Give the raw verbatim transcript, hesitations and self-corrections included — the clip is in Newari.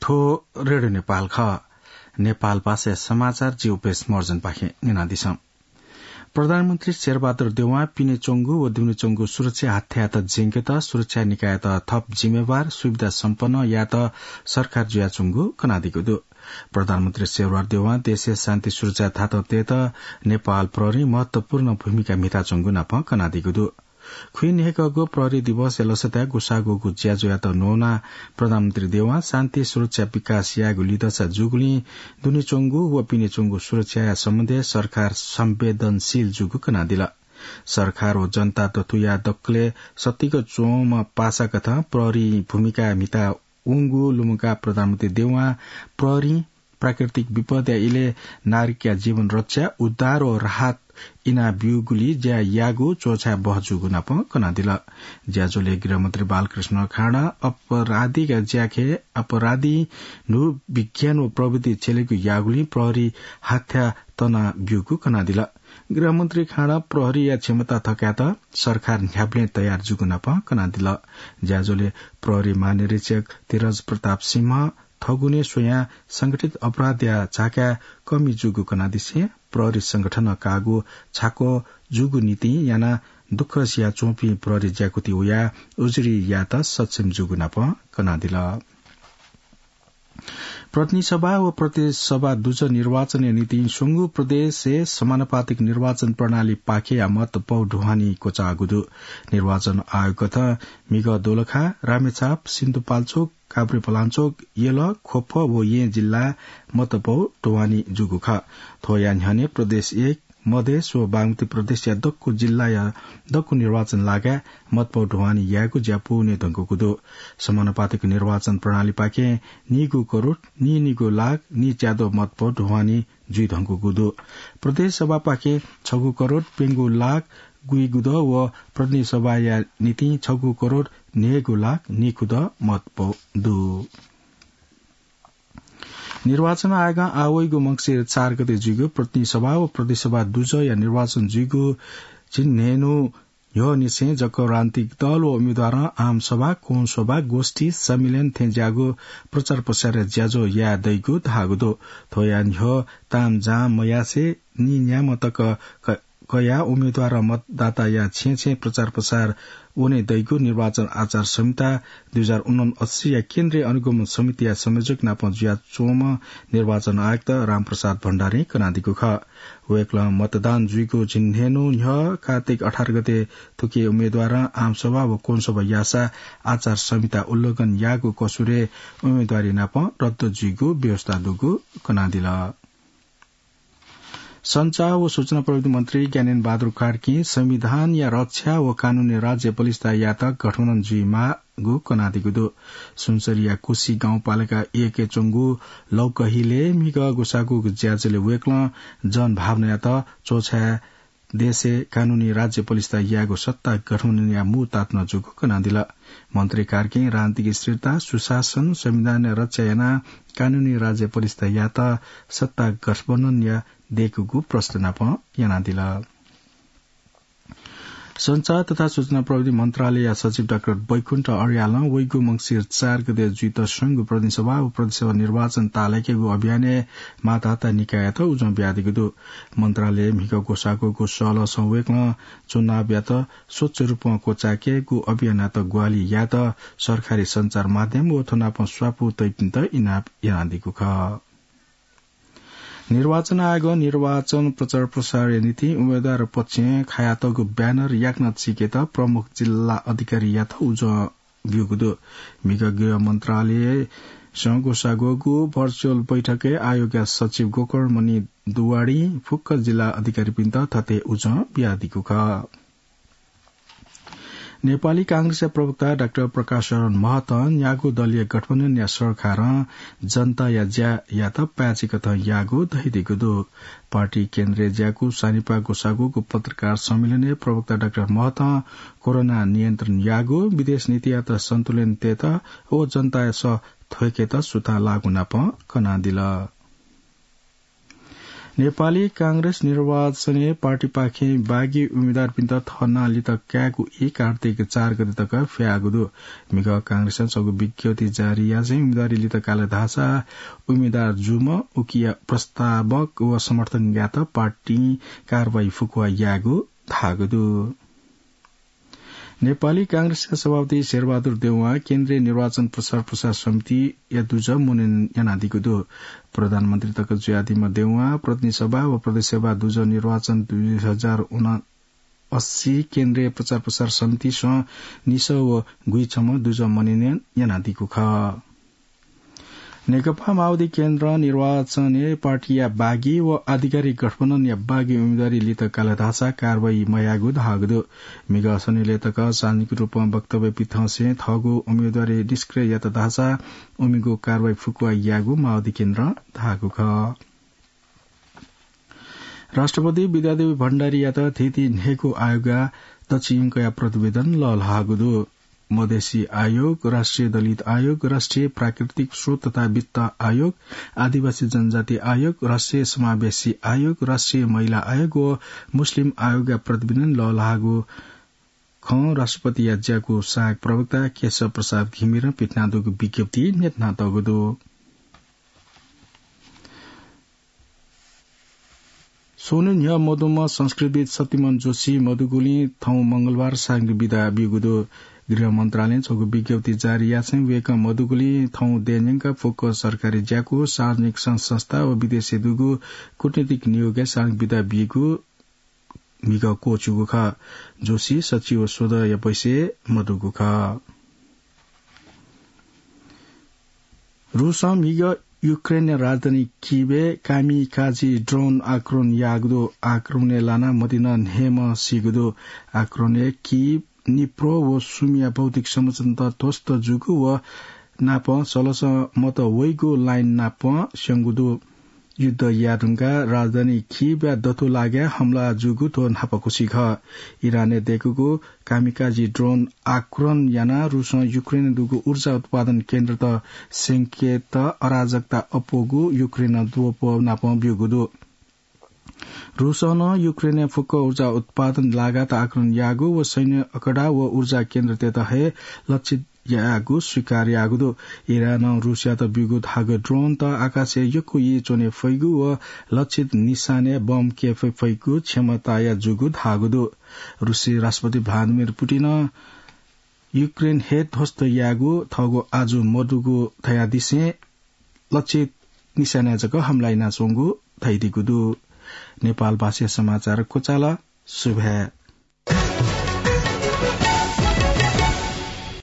थ्व रेडियो नेपाल खः। नेपाल भाषाया समाचार जि उपेश महर्जनपाखें न्यनादिसँ। प्रधानमन्त्री शेरबहादुर देउवां पिनेच्वंगु व दुनेच्वंगु सुरक्षा हाथ्यायात ज्यंकेत सुरक्षा निकाययात थप जिम्मेवार, सुविधा सम्पन्न यायेत सरकार जुयाच्वंगु कनादीगु दु। प्रधानमन्त्री शेरबहादुर देउवां देशय् शान्ति सुरक्षा थातं तयेत नेपाल प्रहरीं महत्वपूर्ण भूमिका म्हिताच्वंगु नाप कनादीगु दु। खुइन्हय्‌कःगु प्रहरी दिवसया लसताय् ग्वसाः ग्वःगु ज्याझ्वःयात न्ववानाः प्रधानमन्त्री देउवां शान्ति सुरक्षा विकास यायेगु लिधंसा जूगुलिं दुनेच्वंगु व पिनेच्वंगु सुरक्षाया सम्बन्धय् सरकार संवेदनशील जूगु कनादिल। सरकार व जनता दथुया दकलय् सतिक च्वंम्ह पासाकथं प्रहरीं भूमिका म्हिता वंगु लुमंकाः प्रधानमन्त्री देउवां प्रहरीं प्राकृतिक विपदया इलय् नागरिकया जीवन रक्षा, उद्धार व राहत इनाब्यूगुलिं ज्या याःगु च्वछाये बहःजूगु नाप कनादिल। ज्याझ्वलय् गृहमन्त्री बालकृष्ण खाँडं अपराधीया ज्याखँय् अपराधीं न्हू विज्ञान व प्रविधि छ्यलेगु याःगुलिं प्रहरी हाथ्या तनाब्यूगु कनादिल। गृहमन्त्री खाँडं प्रहरीया क्षमता थकायेत सरकार न्ह्याबलें तयार जूगु नाप कनादिल। ज्याझ्वलय् प्रहरी महानिरीक्षक धीरज प्रताप सिंह थगुने स्वयां संगठित अपराधया झाकाय् कमी जूगु कनादिसें प्रहरी संगठनं काःगु छाको जूगु निंतिं यानाः दुःख सियाच्वंपिं प्रहरी ज्याकुथि वयाः उजुरी यायेत सक्षम जूगु नाप कनादिल। प्रतिनिधि सभा व प्रदेश सभा दुजः निर्वाचनया निंतिं स्वंगू प्रदेशय् समानुपातिक निर्वाचन प्रणाली पाखेया मत पौ ढुवानी क्वचाःगु दु। निर्वाचन आयोगकथं म्हिगः दोलखा, रामेछाप, सिन्धुपाल्चोक, काभ्रेपलाञ्चोक, यल, ख्वप व येँ जिल्लाय् मत पौ ढुवानी जूगु खः। थ्वया न्ह्यःने प्रदेश एक, मधेस व बागमती प्रदेशया दक्व जिल्लाया दक्व निर्वाचन लागाय् मत पौ ढुवानी यायेगु ज्या पूवने धुंकूगु दु। समानुपातिक निर्वाचन प्रणालीपाखें नीगू करोड नीनिगू लाख नीच्याद्वः मत पौ ढुवानी जुइधुंकूगु दु। प्रदेश सभापाखें छगू करोड प्यंगू लाख गुइगुद्वः व प्रतिनिधि सभाया निंतिं छगू करोड न्हय्‌गू लाख नीखुद्वः मत पौ दु। निर्वाचन आयोगं आः वइगु मंसिर चार गते जुइगु प्रतिनिधि सभा व प्रदेश सभा दुजःया निर्वाचन जुइगु झिंन्हय्‌न्हू न्ह्यःनिसें जक राजनीतिक दल व उम्मेदवारं आम सभा, कोण सभा, गोष्ठी, सम्मेलन थें ज्याःगु प्रचार प्रसारया ज्याझ्वः याये दइगु धाःगु दु। थ्वया न्ह्यः तामझाम मयासें नीन्याम्ह तक क-, कयाः उम्मेदवारं मतदाताया छेँय् छेँय् प्रचार प्रसार वने दइगु निर्वाचन आचार संहिता दुई हजार उनन्सत्तरीया केन्द्रीय अनुगमन समितिया संयोजक नाप जुयाच्वंम्ह निर्वाचन आयुक्त रामप्रसाद भण्डारीं कनादीगु खः। वय्‌कलं मतदान जुइगु झिंन्हय्‌न्हू न्ह्यः कार्तिक अठार गते थुकी उम्मेदवारं आमसभा व कोणसभा याःसा आचार संहिता उल्लंघन याःगु कसुरय् उम्मेदवारी नाप रद्द जुइगु व्यवस्था दुगु कनादिल। सञ्चार व सूचना प्रविधि मन्त्री ज्ञानेन्द्र बहादुर कार्कीं संविधानया रक्षा व कानूनी राज्य बलिष्ठता यायेत गठबन्धन जुइमाःगु कनादीगु दु। सुनसरीया कुसी गाउँपालिका एकय् च्वंगु लौकहिलय् म्हिगः ग्वसाःगु ज्याझ्वलय् वय्‌कलं जनभावनायात च्वछाय् देशय् कानूनी राज्य बलिष्ठता यायेगु सत्ता गठबन्धनया मू तातुना जूगु कनादिल। मन्त्री कार्कीं राजनीतिक स्थिरता, सुशासन, संविधानया रक्षा यानाः कानूनी राज्य बलिष्ठता यायेत सत्ता गठबन्धनया दय्‌कूगु प्रश्न नाप यानादिल। सञ्चार तथा सूचना प्रविधि मन्त्रालयया सचिव डाक्टर बैकुण्ठ अर्यालं वइगु मंसिर चार गते जुइत स्वंगु प्रतिनिधि सभा व प्रदेश सभा निर्वाचन ताःलाकेगु अभियानय् माताहता निकाययात उजं बियादीगु दु। मन्त्रालयय् म्हिगः ग्वसाःगु सहलहसं वय्‌कलं चुनावयात स्वच्छ रूपं क्वचायेकेगु अभियानयात ग्वाहालि यायेत सरकारी सञ्चार माध्यम व थ्व नाप स्वापू तइपिन्त इनाप यानादीगु खः। निर्वाचन आयोगं निर्वाचन प्रचार प्रसारया निंतिं उम्मेदवार पक्षं खायातःगु ब्यानर याकनं चीकेत प्रमुख जिल्ला अधिकारीयात उजं ब्यूगु दु। म्हिगः गृह मन्त्रालयसं ग्वसाःगु भर्चुअल बैठकय् आयोगया सचिव गोकर्णमणि दुवाडीं फुक्क जिल्ला अधिकारीपिन्त थथे उजं बियादीगु खः। नेपाली कांग्रेसया प्रवक्ता डाक्टर प्रकाश शरण महतं न्यागू दलीय गठबन्धनया सरकारं जनताया ज्यायात पाय्‌चिकथं याःगु धयादीगु दु। पार्टी केन्द्रय् ज्याकू सानिपा ग्वसाःगु पत्रकार सम्मेलनय् प्रवक्ता डाक्टर महतं कोरोना नियन्त्रण याःगु, विदेश नीतियात सन्तुलन तयेत व जनताया सः थ्वय्‌केत सुथां लाःगु नाप कनादिल। नेपाली कांग्रेस निर्वाचनय् पार्टीपाखें बागी उम्मेदवारपिन्त थःनां लित कायेगु ई कार्तिक चार गते तक फ्याःगु दु। म्हिगः कांग्रेसं छगू विज्ञप्ति जारी यासें उम्मेदवारी लित काल धाःसा उम्मेदवार जूम्ह उकिया प्रस्तावक व समर्थकयात पार्टीं कारवाही फुक्वा यायेगु धाःगु दु। नेपाली कांग्रेसया सभापति शेरबहादुर देउवां केन्द्रीय निर्वाचन प्रचार प्रसार समितिया दुजः मनोनयन यानादीगु दु। प्रधानमन्त्री तक जुयादीम्ह देउवां प्रतिनिधि सभा व प्रदेश सभा दुजः निर्वाचन दुई हजार उनासी केन्द्रीय प्रचार प्रसार समितिसं निसः व गुइछम्ह दुजः मनोनयन यानादीगु खः। नेकपा माओवादी केन्द्रं निर्वाचनय् पार्टीया बागी व आधिकारिक गठबन्धनया बागी उम्मेदवारी लित काल धाःसा कारवाही मयायेगु धाःगु दु। म्हिगः शनिलय् तक सार्वजनिक रूपं वक्तव्य पिथंसें थःगु उम्मेदवारी निष्क्रिय यात धाःसा उमिगु कारवाही फुक्वा यायेगु माओवादी केन्द्रं धाःगु खः। राष्ट्रपति विद्यादेवी भण्डारीयात थीथी न्हय्गू आयोगया दच्छियंकया प्रतिवेदन लःल्हाःगु दु। मधेसी आयोग, राष्ट्रिय दलित आयोग, राष्ट्रिय प्राकृतिक स्रोत तथा वित्त आयोग, आदिवासी जनजाति आयोग, राष्ट्रिय समावेशी आयोग, राष्ट्रिय महिला आयोग व मुस्लिम आयोगया प्रतिवेदन लःल्हाःगु खँ राष्ट्रपतिया ज्याकू सहायक प्रवक्ता केशव प्रसाद घिमिरं पिथनादीगु विज्ञप्तिइ न्ह्यथनातःगु दु। स्वन्हु न्ह्यः मदुम्ह संस्कृतिविद् शक्तिमोहन जोशी मदुगुलिं थौं मंगलबार सार्वजनिक बिदा ब्यूगु दु। गृह मन्त्रालयं छगू विज्ञप्ति जारी यासें वय्कः मदुगुलिं थौं देय् न्यंक फुक्क सरकारी ज्याकू, सार्वजनिक संघ संस्था व विदेशय् दुगु कूटनीतिक नियोगय् सार्वजनिक बिदा ब्यूगु म्हिगः क्वःछिउगु खः। जोशी सच्छि व स्वदँया बैसय् मदुगु खः। रूसं म्हिगः युक्रेनया राजधानी किभय् कामिकाजी ड्रोन आक्रमण याःगु दु। आक्रमणय् लानाः मतिना न्हय्म्ह सीगु दु। आक्रमणय् किभ, निप्रो व सुमीया भौतिक संरचनात ध्वस्त जूगु व नापं सलसं मत वइगु लाइन नापं स्यंगु दु। युद्ध याये धुंकाः राजधानी किभया दथुलागाय् हमला जूगु थ्व न्हापाकुसी खः। इरानय् दय्कूगु कामिकाजी ड्रोन आक्रमण यानाः रूसं युक्रेनय् दुगु ऊर्जा उत्पादन केन्द्रत स्यंकेत अराजकता अप्वःगु युक्रेनं द्वपं नापं ब्यूगु दु। रूसं नं युक्रेनय् फुक्क ऊर्जा उत्पादन लागात आक्रमण याःगु व सैन्य अखडा व ऊर्जा केन्द्रतय्त हे लक्षित याःगु स्वीकार याःगु दु। इरानं रूसयात ब्यूगु धाःगु ड्रोनत आकाशय् यक्व यी च्वने फइगु व लक्षित निशानय् बम क्यये फइगु क्षमताया जूगु धाःगु दु। रूसी राष्ट्रपति भ्लादिमिर पुटिनं युक्रेन हे ध्वस्त यायेगु थःगु आजु मदुगु धयादिसें लक्षित निशानय् जक हमला यानाच्वंगु धयादीगु दु। नेपाल भाषाया समाचार क्वचाल। सुभाय्।